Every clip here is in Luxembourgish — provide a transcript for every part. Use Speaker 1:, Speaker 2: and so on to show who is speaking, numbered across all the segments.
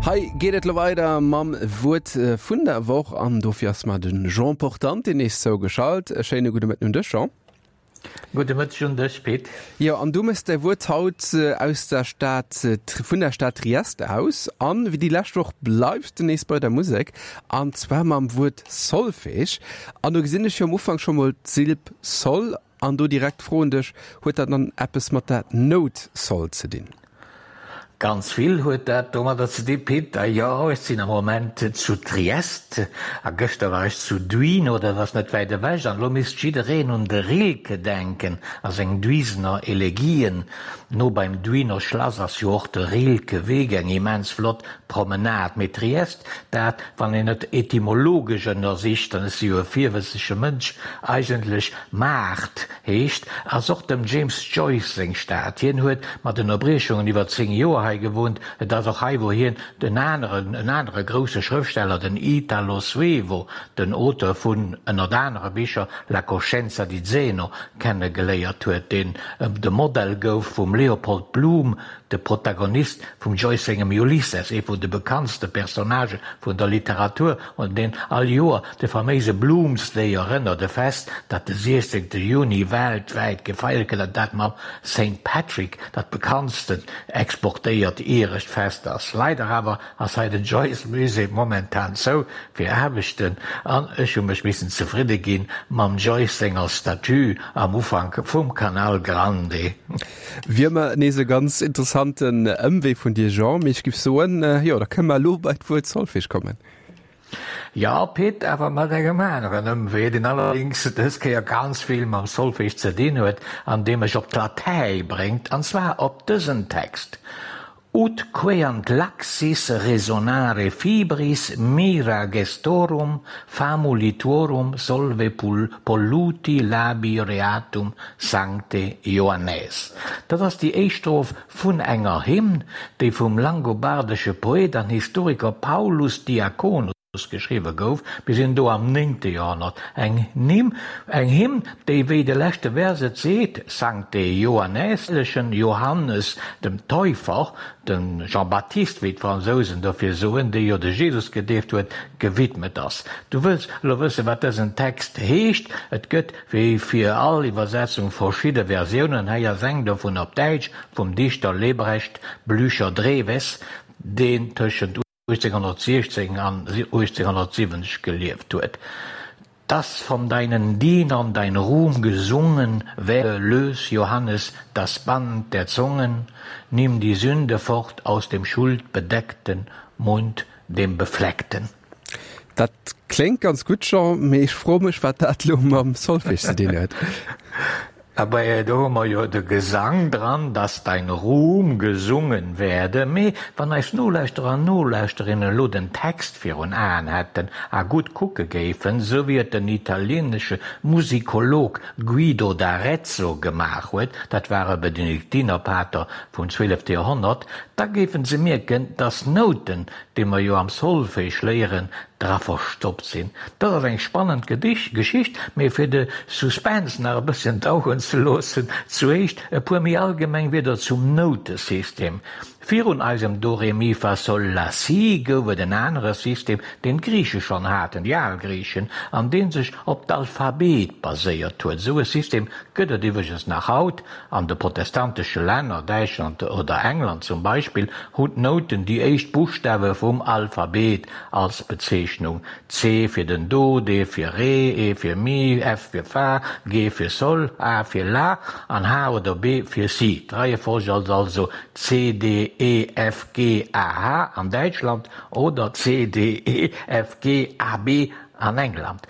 Speaker 1: Hei geet et lo weider mam Wuert vun der Woch an dofir ass mer de Jean Portante nees zougeschalt. E schéine gudde Mëtten un dech, Jean.
Speaker 2: Gudde Mëtteg un dech, Pit.
Speaker 1: Jo, an du mëss däi Wuert haut aus der Stad, vun der Stad Trieste aus. An wéi déi lescht Woch bleifs de nees bei der Musek, an zwar mam Wuert Solfège. An do gesinn ech jo am Ufank scho mol d'Silb Sol An do direkt d'Fro un dech, Huet dat dann eppes mat der Nout Sol ze dinn?
Speaker 2: Ganz vill huet dat domadder ze dinn, Pit. A jo, ech sinn am Moment zu Triest a gëschter war ech zu Duino, dat ass net wäit ewech. An elo misst jiddereen un de Rilke denken a seng Duisener Elegien. No beim Duiner Schlass ass jo och de Rilke-Weg, eng immens flott Promenade. Mee Triest, dat, wann een et etymologesch ënnersicht, an ech si jo e virwëtzege Mënsch, eigentlech Maart heescht, ass och dem James Joyce seng Stad. Hien huet mat Ënnerbriechungen iwwer 10 Joer hei gewunnt. Et ass och hei, wou hien den aneren, en anere grousse Schrëftsteller, den Italo Svevo, den Auteur vun ënnert anere Bicher La coscienza di Zeno, kenne geléiert huet, deen de Modell gouf vum Leopold Bloom, de Protagonist vum Joyce sengem Ulysses, ee vun de bekanntste Personnagë vun der Literatur, un deen all Joer de faméise Bloomsday erënnert, e Fest, dat de 16. Juni weltwäit gefeiert gëtt an dat mam Saint Patrick dat bekanntsten exportéiert irescht Fest ass. Leider awer ass hei den Joyce Musée momentan zou fir Aarbechten an ech hu mech missen zefridde ginn mam Joyce senger Statue am Ufank vum Canal Grande.
Speaker 1: Wier ëmmer nees e ganz interessanten Ëmwee vun dir, Jean, mee ech giff soen, jo, da kënne mer elo bei d'Wuert Solfège kommen.
Speaker 2: Jo, Pit, awer mat engem aneren Ëmwee, deen allerdéngs dës Kéier ganz vill mam Solfège ze dinn huet an dee mech op d'Latäi bréngt, an zwar op dësen Text, Ut queant laxis resonare fibris mira gestorum famuli tuorum solve polluti labi reatum sancte Ioannes. Dat ass déi éischt Stroph vun enger Hymn, déi vum langobardesche Poet an Historiker Paulus Diaconus geschriwwe gouf, mir sinn do am néngte Joerhonnert, eng Hymn, eng Hymn, déi, wéi de leschte Vers et seet, Sancte Ioannes, hellegen Johannes dem Täufer, de Jean-Baptiste, wéi d'Fransousen dofir soen, dee jo de Jesus gedeeft huet, gewidmet ass. Du wëlls elo wëssen, wat dësen Text heescht? Et gëtt Wéi fir all Iwwersetzung verschidde Versiounen, hei ass eng dovun op Däitsch vum Dichter Lebrecht Blücher-Dreves, deen tëschent 1816 an 1870 gelieft huet, Dass von deinen Dienern dein Ruhm gesungen werde, lös, Johannes, das Band der Zungen, nimm die Sünde fort aus dem schuldbedeckten Mund, dem befleckten.
Speaker 1: Dat kléngt ganz gutt, Jean, mee ech froe mech, wat dat elo mam Solfège ze dinn huet.
Speaker 2: Abee, do hu mer jo de Gesang dran, dass dein Ruhm gesungen werde. Mee wann eis Nolauschterer an Nolauschterinnen elo den Text virun Aen hätten a gutt kucke géifen, sou wéi et den italienesche Musikolog Guido d'Arezzo gemaach huet, dat war e Benediktinerpater vum zwielefte Joerhonnert, da géifen se mierken, dass Nouten, déi mer jo am Solfège léieren, dra verstoppt sinn. Dat ass eng spannend Geschicht, mee fir de Suspense nach e bësschen daueren ze loossen, zuéischt e puer méi allgemeng Wierder zum Noutesystem. Virun eisem Do Re Mi Fa Sol La Si gouf et en anere System, deen d'Griiche schonn haten, déi al Griichen, an dee sech op d'Alphabet baséiert huet. Esou e System gëtt et iwwregens nach haut An de protestantesche Länner, Däitschland oder England zum Beispill, hunn d'Nouten déi éischt Buschtawe vum Alphabet als Bezeechnung, C fir den Do, D fir Re, E fir Mi, F fir Fa, G fir Sol, A fir La an H oder B fir Si. D'Reiefolg ass also C, D, E, F, G, A, H an Däitschland oder C, D, E, F, G, A, B an England.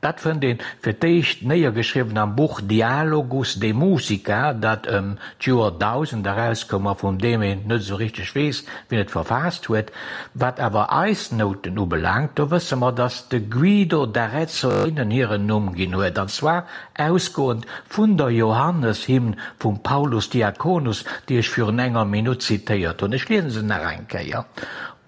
Speaker 2: Dat fënnt een fir d'éischt néiergeschriwwen am Buch Dialogus de musica, dat ëm d'Joer 1000 erauskoum a vun deem een net esou richteg weess, wien et verfaasst huet. Wat awer eis Nouten ubelaangt, do wësse mer, datt de Guido d'Arezzo hinnen hiren Numm ginn huet, an zwar ausgoend vun der Johanneshymn vum Paulus Diaconus, déi ech virun enger Minutt zitéiert hunn. Ech liese se nach eng Kéier.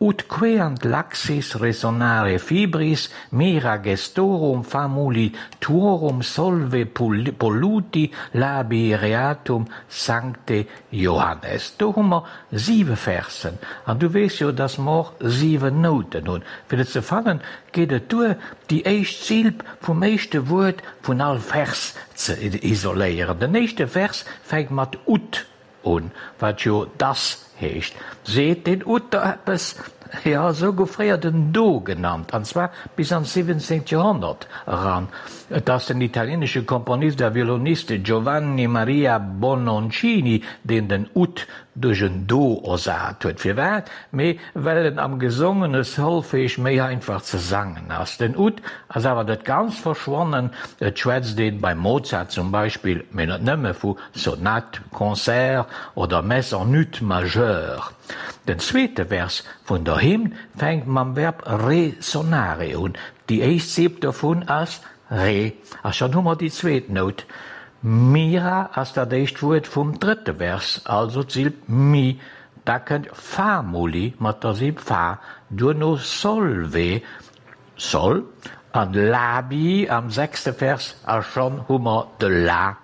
Speaker 2: Ut queant laxis resonare fibris mira gestorum famuli tuorum solve polluti labii reatum sancte Johannes. Do hu mer siwe Versen, an du weess jo, dass mer och siwen Nouten hunn. Fir et ze fannen, geet et duer, déi éischt Silb vum éischte Wuert vun all Vers ze isoléieren. Den éischte Vers fänkt mat ut un, wat jo dass heescht. Seet deen ut der eppes? Jo, esou gouf fréier den Do genannt, an zwar bis an d'siwwenzéngt Joerhonnert eran. Et ass den italieenesche Komponist a Violonist Giovanni Maria Bononcini, deen den Ut duerch en Do ersat huet. Firwat? Mee well en am gesongene Solfège méi einfach ze sangen ass. Den Ut ass awer net ganz verschwonnen, et schwätzt een beim Mozart zum Beispill, mee net nëmme, vu Sonate, Concert oder Messe en Ut majeur. Den zweete Vers vun der Hymn fänkt mam Verb re-sonare un. Déi éischt Silb dovun ass re, a schonn hu mer déi zweet Nout. Mira ass dat éischt Wuert vum drëtte Vers, also d'Silb mi. Da kënnt famuli mat der Silb fa, duerno solve, sol, an labii am sechste Vers, a schonn hu mer de la.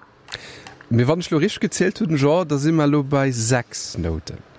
Speaker 1: Mee wann ech lo richteg gezielt hunn, Jean, da si mer elo bei 6 Nouten.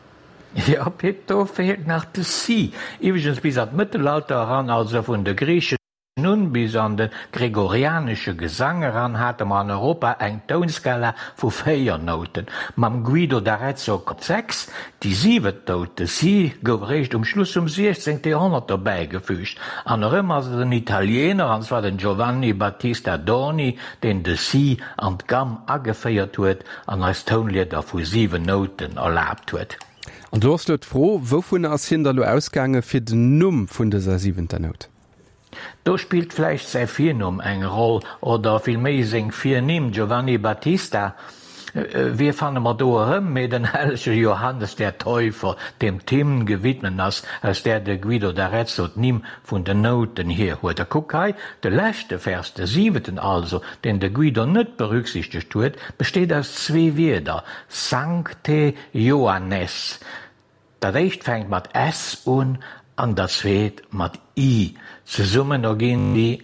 Speaker 2: Jo, Pit, do feelt nach de Si. Iwwregens bis an d'Mëttelalter eran, also vun de Griichen un bis an de gregorianesche Gesang eran, hate mer an Europa eng Tounskala vu 4 Nouten. Mam Guido d'Arezzo op 6. Déi siwent Nout, de Si, gouf eréischt um Schluss vum 16. Joerhonnert dobäigefüügt. An erëm ass et en Italiener, an zwar den Giovanni Battista Doni, deen de Si an d'Gamm ageféiert huet an eis Tounlieder vu 7 Nouten erlaabt huet.
Speaker 1: An do ass lo d'Fro, Wouvunner ass hien da lo ausgaange fir den Numm vun dëser siwenter Nout?
Speaker 2: Do spillt vläicht säi Virnumm eng Roll, oder villméi seng Virnimm, Giovanni Battista. Wie fanne mer do erëm, mee den hellege Johannes der Täufer, deem d'Hymn gewidmet ass, aus där de Guido d'Arezzo d'Nimm vun den Nouten hier huet. A kuck hei, de leschte Vers, de siwenten also, deen de Guido net berücksichtegt huet, besteet aus zwee Wierder, Sancte Joannes, Dat éischt fänkt mat s un an dat zweet mat i. Zesummen erginn si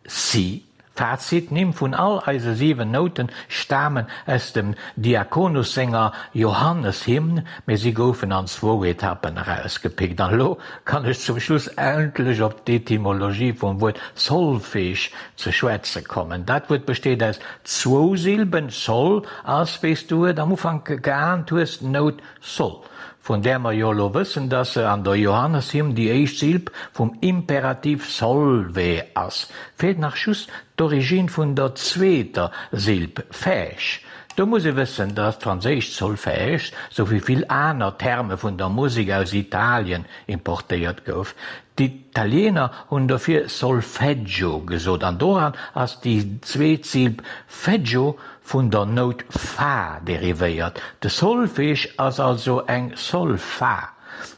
Speaker 2: si. Fazit, D'Nimm vun all eise 7 Nouten stamen aus dem Diakonus senger Johanneshymn, mee si goufen an zwou Etappen erausgepickt. An elo kann ech zum Schluss endlech op d'Etymologie vum Wuert Solfège ze schwätze kommen. Dat Wuert besteet aus zwou Silben, sol ass, wéi s du et am Ufank geahnt hues, d'Nout Soll, vun där mer jo elo wëssen, dass se an der Johanneshymn déi éischt Silb vum Imperativ solve ass, feelt nach just d'Origine vun der zweeter Silb fège. Do muss ee wëssen, dass d'franséischt Solfège, sou wéi vill aner Terme vun der Musek aus Italien importéiert gouf. D'Italiener hunn dofir Solfeggio gesot an doran ass déi zweet Silb feggio vun der Nout Fa derivéiert. De Solfège ass also eng Sol-Fa.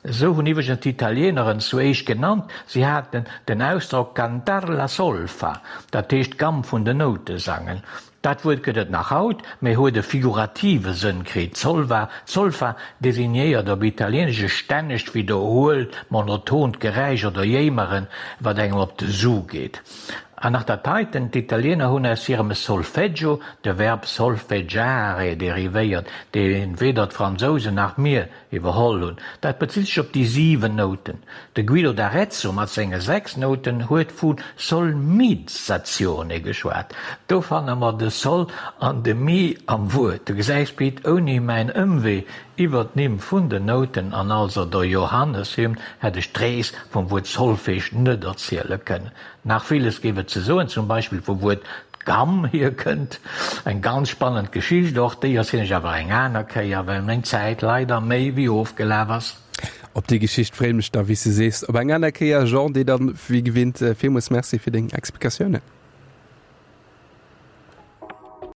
Speaker 2: Esou hunn iwwregens d'Italiener en zu éischt genannt, si haten den Ausdrock cantar la solfa, dat heescht d'Gamm vun den Noute sangen. Dat Wuert gëtt et nach haut, mee huet e figurative Sënn kritt. D'Solva, Solfa, designéiert op Italieenesch e stännegt widderhuelt, monotont Geräisch oder Jéimeren, wat engem op de Su geet. An nach dat heiten, D'Italiener hunn aus hirem Solfeggio de Verb solfeggiare derivéiert, dee weder d'Fransousen nach mir iwwerholl hunn. Dat bezitt sech op déi 7 Nouten. De Guido d'Arezzo mat senge 6 Nouten huet vu Solmizzazione geschwat. Do fanne mer de Sol an de Mi am Wuert. Du gesäis, Pit, ouni mäin Ëmwee iwwer d'Nimm vun den Nouten an also der Johanneshymn hätt ech d'Rees vum Wuert Solfège net erziele kënnen. Nach villes géif et ze soen, zum Beispill vu wuer d'Gamm hierkënnt. Eng ganz spannend Geschicht, och déi erzielen ech awer eng aner Kéier, well meng Zäit leider méi wéi ofgelaf ass.
Speaker 1: Op déi Geschicht freeën mech da, wéi s de sees, op eng aner Kéier. Jean, dir dann wéi gewinnt villmools Merci fir deng Explikatiounen.